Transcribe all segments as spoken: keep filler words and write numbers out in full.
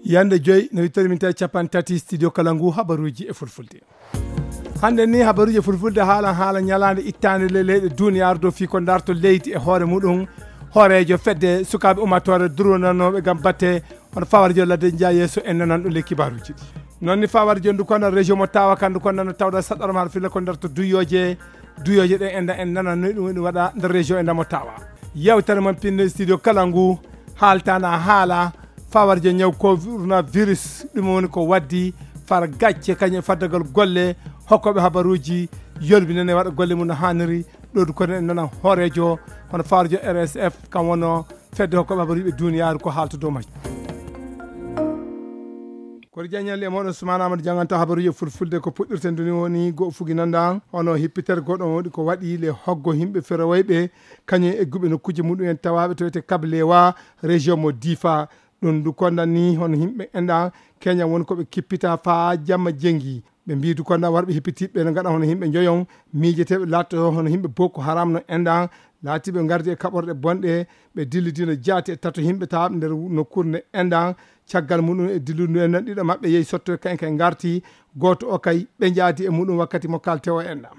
Yande joyi no wittori min tawi capanɗe tati studio kala ngu habaruji e fulfulde. Hande ni habaruji e fulfulde haalan haala ñalaande ittaande le leyɗe duniyaaru dow fii ko darto leydi e hoore muɗum. Hooreejo fedde sukaaɓe ummatore durwonanooɓe ngam batte hono fawar jo ladde nja yeeso en nanan ɗo le kibaruji ɗi. Noon ni fawar jo ndu kono région mo tawa kan ndu kono nana tawda saɗɗorma har filla ko darto duyoje. Duyoje ɗen enda en nanan no ɗum waɗa nder région enda mo tawa. Yewtere mon pinne studio kala ngu haaltana haala fawarje ñaw coronavirus, ɗum woni ko waddi far gacce kañum e faddagal golle hokkooɓe habaruuji yolbinane waɗa golle mum no haaniri. Ɗo du kono en nana hooreejo hono fawarjo R S F kam wonno fedde hokkooɓe habaruuji ɓe duniyaaru ko haalta dow majjum. Koto jaññal e moɗon Sumana Amadou janganta habaruuji e fulfulde ko puɗɗirten duni woni go fuginanda hono hippitere goɗɗo woni ko waɗi le hoggo himɓe ferowayɓe kañum e guɓe nokkuuji muɗum en tawaɓe to wiyete kablewa région mo difa. Ɗum ndu kondan ni hono yimɓe enɗan keña woni ko ɓe kippita faa jamma jengi. Ɓe mbiidu kondan warɓe hippitiɓɓe no ngaɗa hono yimɓe njoyon miijeteɓe laatto hono yimɓe boko haram no enɗan laatiɓe ngardi e kaɓorɗe bonɗe. Ɓe dillidino jaati e tato yimɓe tawaɓe nder nokkuure nde enɗan. Caggal muɗum e dilludu enɗan ɗiɗo maɓɓe yehi sotto e kayen kay ngarti. Gooto o kay ɓe jaadi e muɗum wakkati mo kalte o enɗan.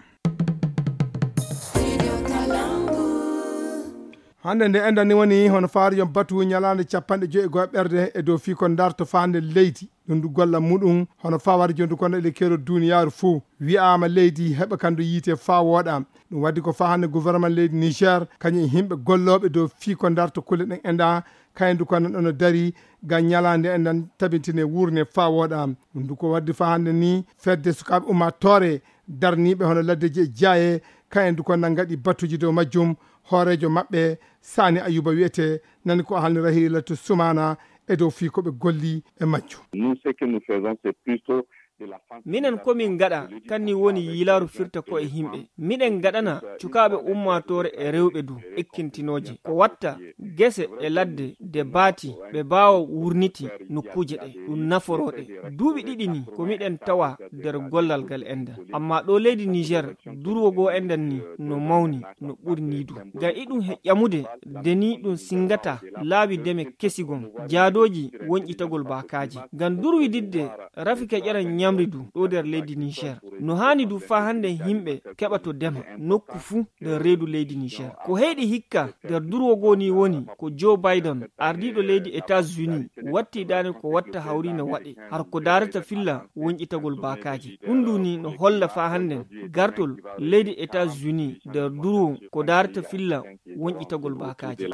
Hannde nde enɗan ni woni hono faarijo batu ñalaande capanɗe joyi e go'o ɓerde e dow fii ko darto faande leydi. Ɗum ndu golla muɗum hono fawarjo ndu kono ele kero duniyaaru fuu. Wi'aama leydi heɓa kandu yiite faa wooɗa. Ɗum waddi ko faa hannde gouvernement leydi Niger kañum e yimɓe gollooɓe dow fii ko darto kulle ɗen enɗan kayen ndu kono ɗono dari ngam ñalaande enɗan tabintine wuurne faa wooɗa. Ɗum ndu ko waddi faa hannde ni fedde sukaaɓe ummaatoore darniiɓe hono laddeji e jaaye kayen ndu kono ngaɗi batuji dow majjum. Hooreejo maɓɓe Sani Ayuba wiyete nani ko halni Rahilatu Sumana e dow fii ko ɓe golli e majjum. Nous, ce que nous faisons, c'est plutôt de la sensibilisation. Minen ko min ngaɗa kanni woni yiilaaru firta ko e yimɓe. Miɗen ngaɗana cukaaɓe ummaatoore e rewɓe du ekkintinooje ko watta gese e ladde de baati ɓe baawa wurniti nokkuuje ɗe ɗum naforooɗe. Duuɓi ɗiɗi ni ko miɗen tawa nder gollal ngal enɗan. Amma ɗo leydi Niger durwo goo enɗan ni no mawni no ɓuri ni du. Ngam iɗum he ƴamude de ni ɗum singata laabi deme kesi gon jaadooji wonƴitagol baakaaji. Ngam durwididde rafi keƴeran ñamri du ɗo nder leydi Niger. No haani du faa hannde yimɓe keɓa to dema nokku fuu nder reedu leydi Niger. Ko heyɗi hikka nder durwo goo ni woni ko Joe Biden, ardiiɗo leydi États-Unis, watti daane ko watta hawri no waɗe har ko daarata filla wonƴitagol baakaaji. Ɗum du ni no holla faa hannden gartol leydi États-Unis nder durwo ko daarata filla wonƴitagol baakaaji.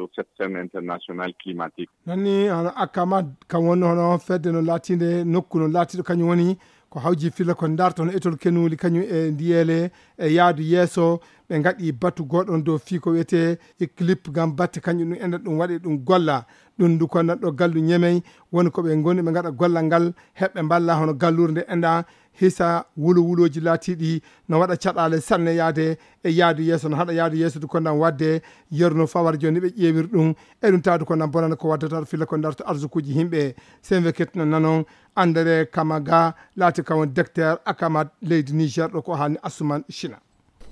Noon ni hono Akama kam woni hono fedde no laatinde nokku no laatiɗo kañum woni ko hawji filla ko darto hono etol kenuli kañum e ndiyeele e yaadu yeeso. Ɓe ngaɗi batu goɗɗo on dow fii ko wiyetee clip ngam batte kañum ɗum enɗan ɗum waɗi ɗum golla. Ɗum ndu ko nanɗo gallu ñemey woni ko ɓe ngoni ɓe ngaɗa gollal ngal heɓɓe mballa hono galluure nde enɗan hisa wulo wulooji laatiiɗi no waɗa caɗaale sanne yaade e yaadu yeeso no haɗa yaadu yeeso du ko nan waɗde yeru no fawar jooni ɓe ƴeewir ɗum. E ɗum taadu ko nan bonana ko waddata filla ko darto arsukuuji yimɓe. Senve ketno nanon André Kamaga laati kawon docteur Akamat leydi Niger ɗo ko haalni Asuman China.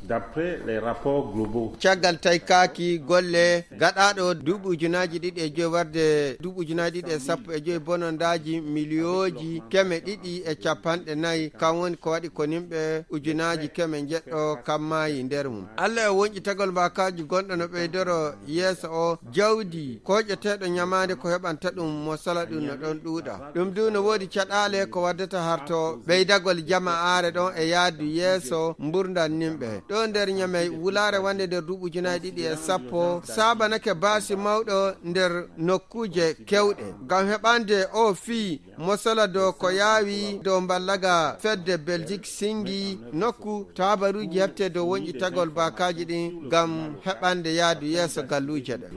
D'après les rapports globaux. Caggal taykaaki golle gaɗaaɗo duuɓi ujunaaji ɗiɗi e joyi warde duuɓi ujunaaji ɗiɗi e sappo e joyi bonondaaji miliyooji keme ɗiɗi e capanɗe nayi kan woni ko waɗi ko nimɓe ujunaaji keme njeɗɗo kammaayi nder mum. Allah e wonƴitagol mbaakaaji gonɗo no ɓeydoro yeeso o jawdi koƴeteeɗo ñamaande ko heɓanta ɗum mo sala ɗum no ɗon ɗuuɗa. Ɗum du no woodi caɗaale ko waddata harto ɓeydagol jama aare ɗon e yaadu yeeso mburdan nimɓe. Ɗo nder ñamey wulaare wande nder duuɓi ujunaaji ɗiɗi e sappo saabanake baasi mawɗo nder nokkuuje kewɗe. Ngam heɓande o fii mosala dow ko yaawi dow mballaga fedde Belgique singi nokku taabaruuji heɓte dow wonƴitagol baakaaji ɗin ngam heɓande yaadu yeeso galluuje ɗe.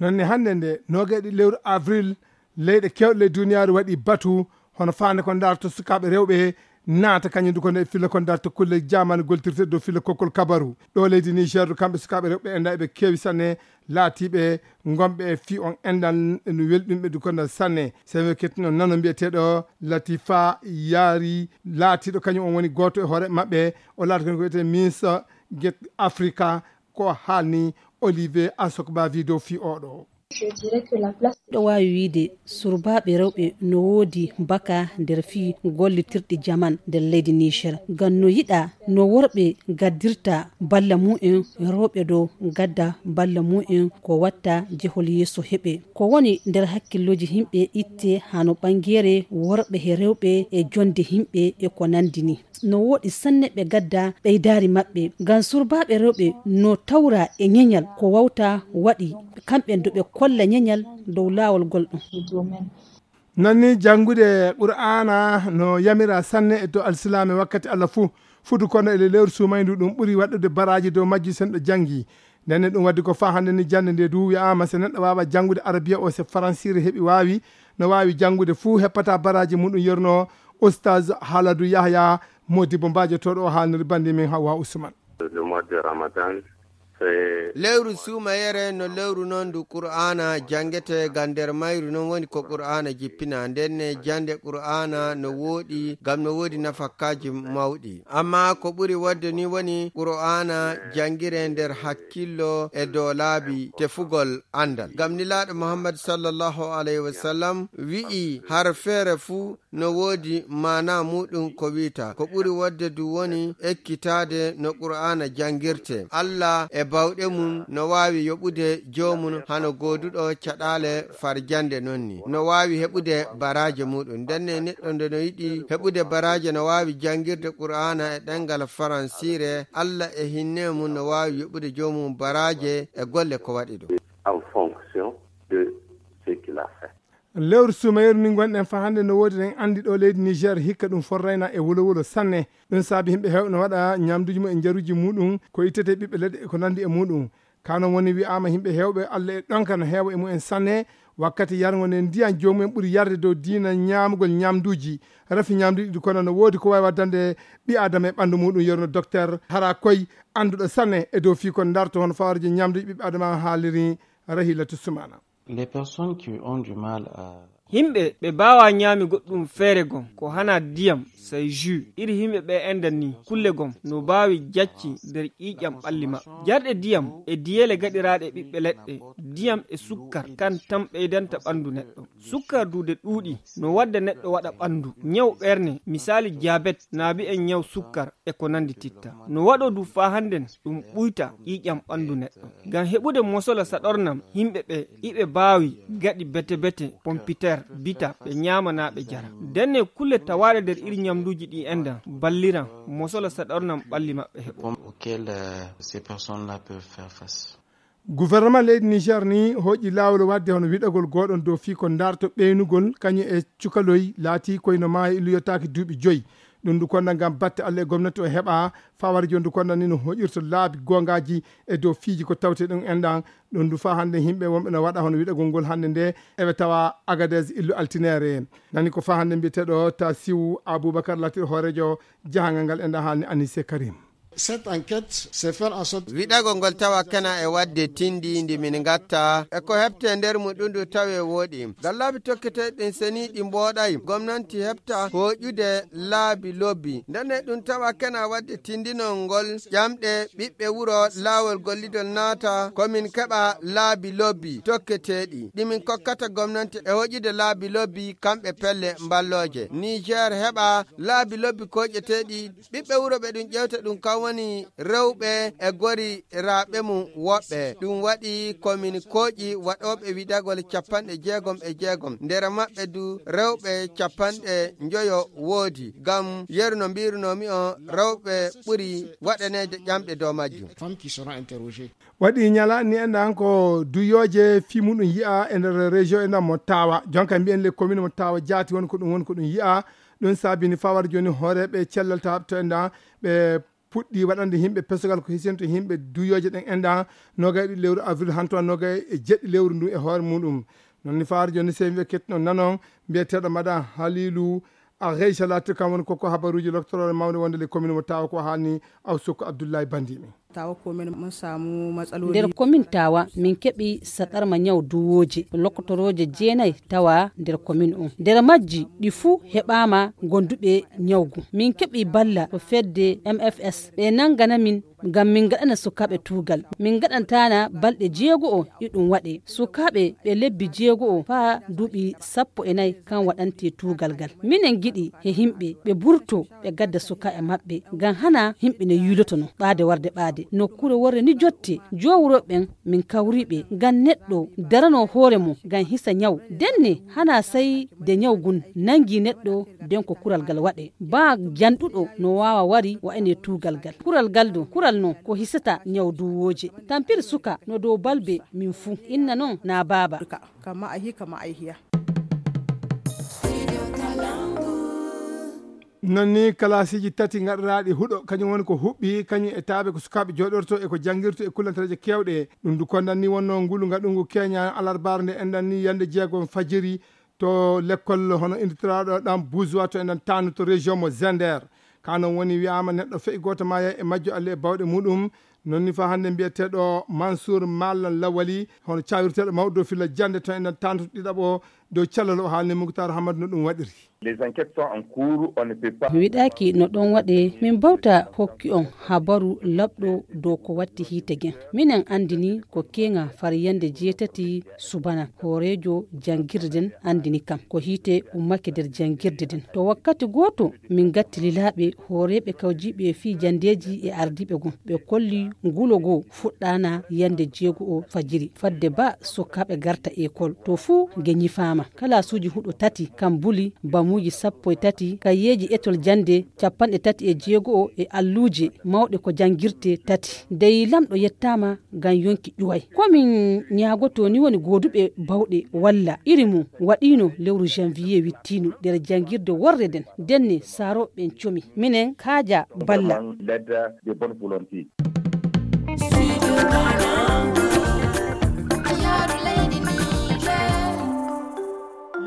Noon ne hannde nde noogay ɗiɗi lewru avril leyɗe kewɗe ley duniyaaru waɗi batu hono faande ko darto sukaaɓe rewɓe naata kañum du ko nde filla ko darto kulle jamani goltirte dow filla kokkol kabaru. Ɗo leydi Niger du kamɓe sukaaɓe rewɓe enɗan eɓe keewi sanne laatiiɓe ngonɓe e fii on enɗan no welɗumɓe du ko nder sanne. Sewe kettuno nano mbiyeteeɗo Latifa Yaari laatiiɗo kañum on woni gooto e hoore maɓɓe o laati ko wiyetee Miss Get Africa ko haalni Olivier Asokbavi dow fii oɗo. Je dirais que la place ɗo waawi wiyde surbaaɓe rewɓe no woodi baka nder fii gollitirɗi jaman nder leydi Niger. Ngam no yiɗa no worɓe gaddirta balla mu'en, rewɓe ɗo gadda balla mu'en ko watta jehol yeeso heɓe. Ko woni nder hakkillooji yimɓe itte hano ɓangere worɓe he rewɓe e jonde yimɓe e ko nandi ni. No woɗi sanne ɓe gadda ɓeydaari maɓɓe. Ngam surbaaɓe rewɓe no tawra e ñeñal ko wawta waɗi kamɓe do ɓe kolla ñeñal dow laawol gol ɗum. Nanni janngude Qur'aana no yamira sanne e to alsilaame wakkati Allah fuu. Futu kono e lewru suumayndu ɗum ɓuri waɗude baraaji dow majji sen ɗo janngi. Nden ne ɗum waddi ko faa hannde ni jannde nde du wi'aama se neɗɗo waawa janngude arabiya o se faransiire heɓi waawi, no waawi janngude fuu heppata baraaji muɗum yerno Oustaz Haladu Yahya Modibo Mbajo toɗo o haalniri bandi min Hawa Usman. Le mois de Ramadan, c'est lewru suumayere no lewru non ndu Qur'aana janngete, ngam nder mayru non woni ko Qur'aana jippina. Nden ne jannde Qur'aana no wooɗi, ngam no woodi nafakkaaji mawɗi. Amma ko ɓuri wodde ni woni Qur'aana janngire nder hakkillo e dow laabi tefugol anndal. Ngam Nulaaɗo Muhammad sallallahu alayhi wa sallam wi'i har feere fuu no woodi maana muɗum ko wi'ata. Ko ɓuri wodde du woni ekkitaade no Qur'aana janngirte. Allah e bawɗe mum no waawi yoɓude joomum hano gooduɗo caɗaale farjande non ni. No waawi heɓude baraaje muɗum. Nden ne neɗɗo nde no yiɗi heɓude baraaje no waawi janngirde Qur'aana e ɗemngal faransiire. Allah e hinne mum no waawi yoɓude joomum baraaje e golle ko waɗi ɗum. En fonction de ce qu'il a fait. Lewru sumayru ndi ngonɗen faa hannde no woodi ɗen anndi ɗo leydi Niger hikka ɗum forrayna e wolo wolo sanne. Ɗum saabi yimɓe heewɓe no waɗa ñamduuji mum e njaruuji muɗum ko ittete ɓiɓɓe leɗɗe e ko nanndi e muɗum. Ka non woni wi'aama yimɓe heewɓe Allah e ɗonka no heewa e mumen sanne. Wakkati yargo nde ndiyan joomumen ɓuri yarde dow diina ñaamugol ñamduuji. Rafi ñamduuji ɗi kono no woodi ko waawi waddande ɓi aadama e ɓanndu muɗum yerno docteur hara koy annduɗo sanne e dow fii ko ndarto hono fawarje ñamduuji ɓiɓɓe aadama haaliri. Rahilatu Sumana. Les personnes qui ont du mal à Himɓe ɓe baawa ñaami goɗɗum feere gom ko hana diyam, say jus. Iri himɓe ɓe endan ni kulle gom no baawi jacci nder ƴiiƴam ɓalli maɓɓe. Jarɗe diyam e diyeele gaɗiraaɗe ɓiɓɓe leɗɗe, diyam e sukkar kan tan ɓeydanta ɓanndu neɗɗo. Sukkar duude ɗuuɗi no wadda neɗɗo waɗa ɓanndu ñaw ɓerne, misaali jabet, naabi en ñaw sukkar e ko nandi titta. No waɗo du faa hannden ɗum ɓuyta ƴiiƴam ɓanndu neɗɗo. Ngam heɓude mosola saɗornam yimɓe ɓe iɓe baawi gaɗi bete-bete pompiter bita ɓe ñaama naa ɓe jara. Ndenne kulle tawaaɗe nder iri ñamduuji ɗi endan balliran mosola saɗornam ɓalli maɓɓe heɓo. Auquel ces personnes-là peuvent faire face. Gouvernement leydi Niger ni hoƴi laawol wadde hono wiɗagol gooɗon dow fii ko ndarto ɓeynugol kañum e cukaloy laati koyno maayo illuyotaaki duuɓi joyi. Ɗum ndu konda ngam batte Allah e gomnati o heɓa fawar joni ndu konda ni no hoƴirto laabi gongaji e dow fiiji ko tawte ɗum enɗan. Ɗum ndu faa hannde yimɓe wonɓe no waɗa hono wiɗagol ngol hannde nde eɓe tawa Agadez illu altinere. Nani ko faa hannde mbiyeteɗo Tasiw Aboubacar laatiɗo hoorejo jahangal ngal enɗan haalni Anise Karim. Cette enquête, c'est faire en sorte wiɗagol ngol tawa kena e wadde tindi ndi min ngatta e ko heɓte nder mum ɗum ɗum tawe wooɗi. Ngam laabi tokketeeɗi ɗin seniiɗi mbooɗay gomnanti heɓta hooƴude laabi lobbi. Ndenne ɗum tawa kena wadde tindinol ngol ƴamɗe ɓiɓɓe wuro laawol gollidol naata ko min keɓa laabi lobbi tokketeeɗi ɗi min kokkata gomnanti e hooƴude laabi lobbi kamɓe pelle mballooje. Niger heɓa laabi lobbi kooƴeteeɗi ɓiɓɓe wuro ɓe ɗum ƴewta ɗum kam woni rewɓe e goriraaɓe mum woɓɓe. Ɗum waɗi ko min kooƴi waɗooɓe wiɗagol capanɗe jeegom e jeegom. Nder maɓɓe du rewɓe capanɗe njoyo woodi. Ngam yeru no mbiirunoomi on rewɓe ɓuri waɗaneede ƴamɗe dow majjum. Femmes qui seront interrogées. Waɗi ñala ni enɗan ko duyooje fii muɗum yi'a e nder région enɗan mo tawa. Jonka mbiyen le commune mo tawa jaati woni ko ɗum woni ko ɗum yi'a. Ɗum saabini fawar joni hooreeɓe cellal tawa to enɗan ɓe puɗɗi waɗande yimɓe pesogal ko hisento yimɓe duyooje ɗen enɗan nogay ɗiɗi lewru avril hanto nogay e jeɗɗi lewru ndu e hoore muɗum. Non ni fawar joni se wiɓe kettuno nanon mbiyeteɗo maɗa Halilu a Geysa latir kam woni koko habaruji loctorore mawde wonde le commune mo tawa ko haalni aw sokko Abdoullahi Bandimi. Tawa komin mun samu matsaloli. Nder komin tawa min keɓi saɗarma ñaw duwooje lokkotorooje jeenay tawa nder komin on. Nder majji ɗi fuu heɓaama gonduɓe ñawgu. Min keɓi balla to fedde M F S. Ɓe nangana min ngam min ngaɗana sukaaɓe tuugal. Min ngaɗantana balɗe jeego'o iɗum waɗe. Sukaaɓe ɓe lebbi jeego'o faa duuɓi sappo e nayi kan waɗante tuugal ngal. Minen ngiɗi he himɓe ɓe burto ɓe gadda sukaaɓe maɓɓe. Ngam hana himɓe no yiilotono ɓaade warde ɓaade. Nokkuure worre ni jotte. Joowuro ɓen min kawri ɓe. Ngam neɗɗo darano hoore mum ngam hisa ñaw. Denne hana sai de ñaw gun nangi neɗɗo den ko kural gal waɗe. Ba janɗuɗo no waawa wari wa'ene tuugal gal. Kural gal ɗo, kural non ko hisata ñaw duwooje. Tampir suka no dow balbe min fuu. Inna non na baaba. Kama ahi, kama aihiya. Non ni kalaasiiji tati gaɗiraaɗi huɗo, kañum woni ko huɓɓi, kañum e taaɓe ko sukaaɓe jooɗorto e ko janngirto e kullantareeje keewɗe. Ɗum du kondan ni wonno ngulu ngaɗungu Kenya alarbaare nde enɗan ni yande jeegom fajiri to lekkol hono indirtiraaɗo ɗam Buzwa to enɗan taanu to région mo Zender. Ka non woni wi'aama neɗɗo fe'i gooto maaya e majjo alle e bawɗe muɗum. Non ni fa hannde mbiyeteeɗo Mansour Mallan Lawali, hono caawirteeɗo mawɗo dow filla jannde to enɗan taanu ɗiɗaɓo dow cellal o haalni Muktar Hamad no ɗum waɗiri. Les enquêtes sont en cours, on ne peut pas. Mi wiɗaaki no ɗon waɗe, min bawta hokki on habaru laɓɗo dow ko watti hiite gen. Minen anndini ko keŋa far yande jeetati subana, hooreejo janngirde den anndini kam. Ko hiite ummake nder janngirde den. To wakkati gooto, min gatti lilaaɓe, hooreeɓe kawjiiɓe fii jandeeji e ardiiɓe gon. Ɓe kolli ngulo goo fuɗɗaana yande jeego'o fajiri. Fadde ba sukaaɓe garta ekol. To fuu nge ñifaama. Kalaasuuji huɗo tati, kam buli, bamuuji sappo e tati, kayeeji etol jannde capanɗe tati e jeego'o e alluuje mawɗe ko janngirte tati. Dey lamɗo yettaama ngam yonki ƴuway. Ko min ñaagotoo ni woni gooduɓe bawɗe walla iri mum waɗiino lewru janvier wittiino nder janngirde worre nden. Denne saarooɓe ɓen comi. Minen kaaja balla. Vraiment, l'aide de bonne volonté.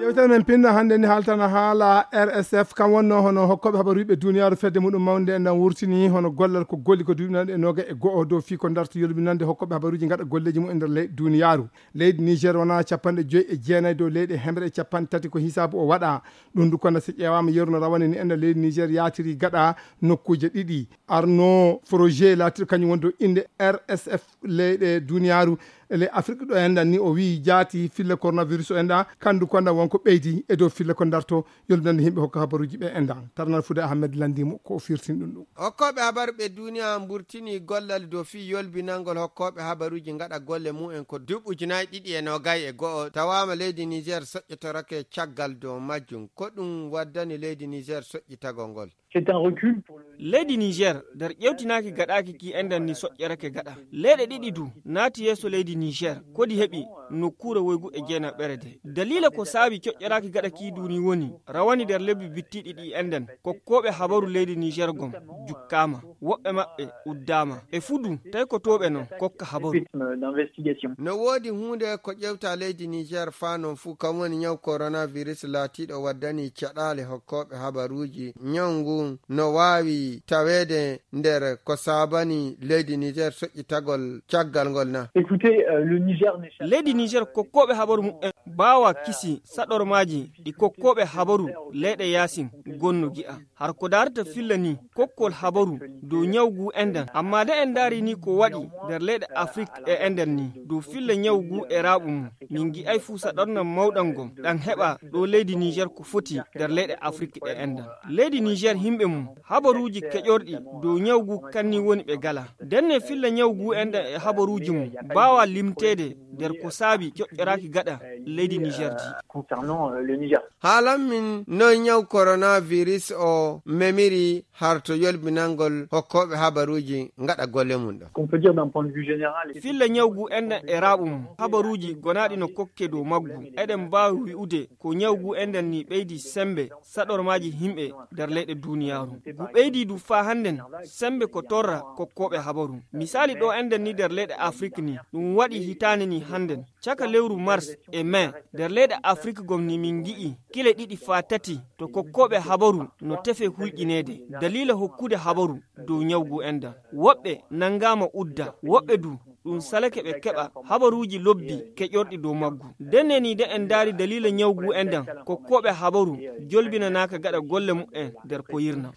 Yewtere men pinɗo hannde ni haaltana haala R S F, kam wonno hono hokkooɓe habaruuji ɓe duniyaaru fedde muɗum mawnde en ɗan wurtini hono gollal ko golli ko duuɓi nanɗe e noga e go'o dow fii ko darto yolbinande hokkooɓe habaruuji ngaɗa golleeji mum e nder ley duniyaaru. Leydi Niger wona capanɗe joyi e jeenayi dow leyɗe hemre e capanɗe tati ko hisaabu o waɗa. Ɗum du kono si ƴeewaama yeru no rawane ni enɗan leydi Niger yaatiri gaɗa nokkuuje ɗiɗi. Arnaud Froger laatiɗo kañum woni dow innde R S F leyɗe duniyaaru e ley Afrik ɗo enɗan ni o wi'i jaati fille coronavirus o enɗa kandu konda wonko ɓeydi e dow fille ko darto yolbinande yimɓe hokka habaruuji ɓe enɗan. Tarnal Fude Ahmed lanndimo ko o firtin ɗum ɗum. Hokkooɓe habaru ɓe duniya mburtini gollal dow fii yolbinangol hokkooɓe habaruuji ngaɗa golle mumen ko duuɓi ujunaaji ɗiɗi e noogay e go'o tawaama leydi Niger soƴƴotorake caggal dow majjum. Ko ɗum waddani leydi Niger soƴƴitagol ngol. C'est un recul pour le Leydi Niger nder ƴewtinaaki gaɗaaki ki enɗan ni soƴƴerake gaɗa. Leyɗe ɗiɗi du naati yeeso leydi Niger. Kodi heɓi nokkuure woygu e jeenaɓere de. Daliila ko saabi coƴƴeraaki gaɗa ki duni woni rawani nder lebbi bittiɗi ɗi enɗan. Kokkooɓe habaru leydi Niger gom jukkaama. Woɓɓe maɓɓe uddaama. E fudu tawi ko tooɓe non kokka habaru. Rythme d'investigation. No woodi huunde ko ƴewta leydi Niger faa non fuu kam woni ñaw coronavirus laatiiɗo waddani caɗaale hokkooɓe habaruuji. Ñaw ngun no waawi taweede nder ko saabani leydi Niger soƴƴitagol caggal ngol na? Écoutez, euh, le Niger n'est Leydi Niger kokkooɓe habaru mumen mbaawa kisi saɗormaaji ɗi kokkooɓe habaru leyɗe yaasin gonno gi'a. Har ko daarata filla ni kokkol habaru dow ñaw ngu enɗan. Amma de en ndaari ni ko waɗi nder leyɗe Afrik e enɗan ni dow filla ñaw ngu e raaɓu mum. Min ngi'ay fuu saɗorna mawɗan ngon ɗan heɓa ɗo leydi Niger ko foti nder leyɗe Afrik e enɗan. Leydi Niger himɓe mum habaruuji keƴorɗi dow ñaw ngu kanni woni ɓe gala. Denne filla ñaw ngu enɗan e habaruuji mum mbaawa limteede nder ko saabi coƴƴoraaki gaɗa leydi Niger di. Concernant, euh, le Niger. Haalan min noy ñaw coronavirus o memiri harto yolbinangol hokkooɓe habaruuji ngaɗa golle mum ɗo. Qu'on peut dire d'un point de vue général. Filla ñaw ngu enɗan e raaɓu mum habaruuji gonaaɗi no kokke dow maggu. Eɗen mbaawi wi'ude ko ñaw ngu enɗan ni ɓeydi sembe saɗormaaji himɓe nder leyɗe duniyaaru. Ngu ɓeydi du faa hannden sembe ko torra kokkooɓe habaru. Misaali ɗo enɗan ni nder leyɗe Afrik ni ɗum waɗi hitaande ni Hannden, caka lewru mars e mai, nder leyɗe Afrik gom ni min ngi'i kile ɗiɗi faa tati to kokkooɓe habaru no tefe hulƴineede daliila hokkude habaru dow ñaw ngu enɗan. Woɓɓe nanngaama udda, woɓɓe du ɗum salake ɓe keɓa habaruuji lobbi keƴorɗi dow maggu. Ndenne ni de en ndaari daliila ñaw ngu enɗan, kokkooɓe habaru jolbinanaaka gaɗa golle muɓɓen nder koyirna.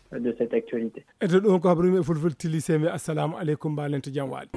Eto ɗum ko habaru men e fulfulde, tilise men. Assalamu aleykum, mbaalente jam waali.